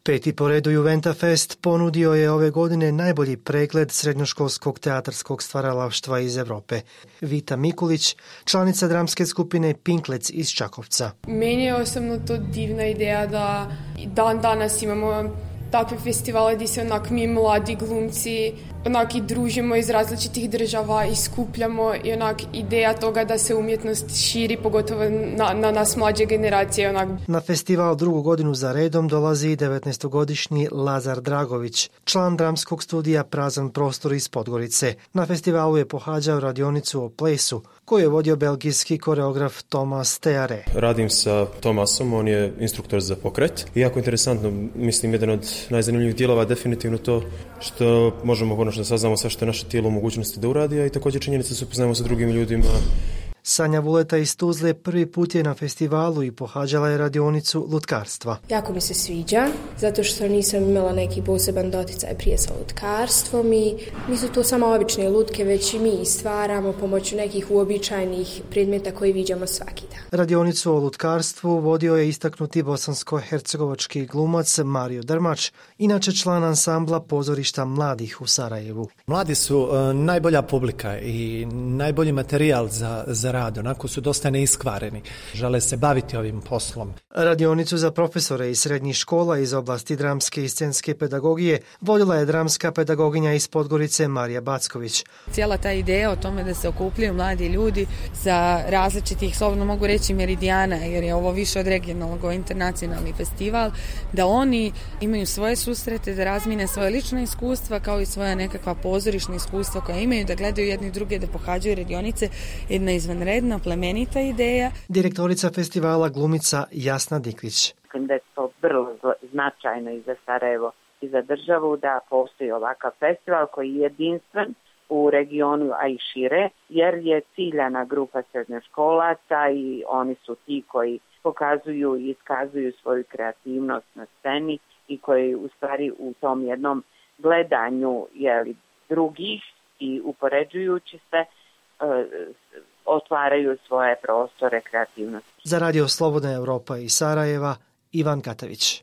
Peti po redu Juventa Fest ponudio je ove godine najbolji pregled srednjoškolskog teatarskog stvaralaštva iz Europe. Vita Mikulić, članica dramske skupine Pinklec iz Čakovca. Meni je osobno to divna ideja da dan danas imamo takve festivale gdje se mi mladi glumci i družimo iz različitih država i skupljamo i ideja toga da se umjetnost širi, pogotovo na nas mlađe generacije. Na festival drugu godinu za redom dolazi 19-godišnji Lazar Dragović, član dramskog studija Prazan prostor iz Podgorice. Na festivalu je pohađao radionicu o plesu koju je vodio belgijski koreograf Thomas Teare. Radim sa Thomasom, on je instruktor za pokret. I jako interesantno, mislim, jedan od najzanimljivih dijelova je definitivno to što možemo konačno saznamo sve što je naše tijelo u mogućnosti da uradi, a i također činjenica se upoznajemo sa drugim ljudima. Sanja Vuleta iz Tuzle prvi put je na festivalu i pohađala je radionicu lutkarstva. Jako mi se sviđa, zato što nisam imala neki poseban doticaj prije sa lutkarstvom i nisu to samo obične lutke, već i mi stvaramo pomoću nekih uobičajenih predmeta koji viđamo svaki dan. Radionicu o lutkarstvu vodio je istaknuti bosansko-hercegovački glumac Mario Drmač, inače član ansambla pozorišta mladih u Sarajevu. Mladi su najbolja publika i najbolji materijal za rad, onako su dosta neiskvareni. Žele se baviti ovim poslom. Radionicu za profesore iz srednjih škola iz oblasti dramske i scenske pedagogije vodila je dramska pedagoginja iz Podgorice Marija Backović. Cijela ta ideja o tome da se okupljaju mladi ljudi sa različitih, slobodno mogu reći, meridijana, jer je ovo više od regionalnog, internacionalni festival, da oni imaju svoje susrete, da razmine svoje lična iskustva kao i svoja nekakva pozorišna iskustva koja imaju, da gledaju jedni druge, da pohađaju radionice, jedna izvanredna, plemenita ideja. Direktorica festivala glumica Jasna Diklić. Mislim da je to vrlo značajno i za Sarajevo i za državu da postoji ovakav festival koji je jedinstven u regionu, a i šire, jer je ciljana grupa srednjoškolaca i oni su ti koji pokazuju i iskazuju svoju kreativnost na sceni i koji u stvari u tom jednom gledanju drugih i upoređujući se otvaraju svoje prostore kreativnosti. Za Radio Slobodna Europa iz Sarajeva, Ivan Katavić.